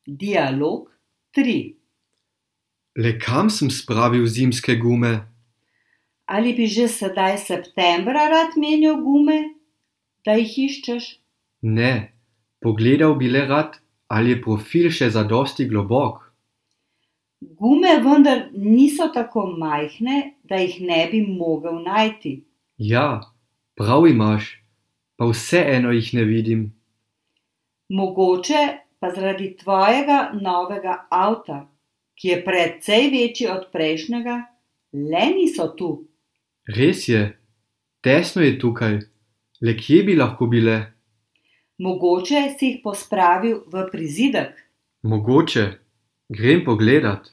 Dialog 3. Le kam sem spravil zimske gume? Ali bi že sedaj septembra rad menjal gume, da jih iščeš? Ne, pogledal bi le rad, ali je profil še zadosti globok. Gume vendar niso tako majhne, da jih ne bi mogel najti. Ja, prav imaš, pa vseeno jih ne vidim. Mogoče pa zaradi tvojega novega avta, ki je precej večji od prejšnjega, le niso tu. Res je, tesno je tukaj, le kje bi lahko bile? Mogoče si jih pospravil v prizidek. Mogoče, grem pogledat.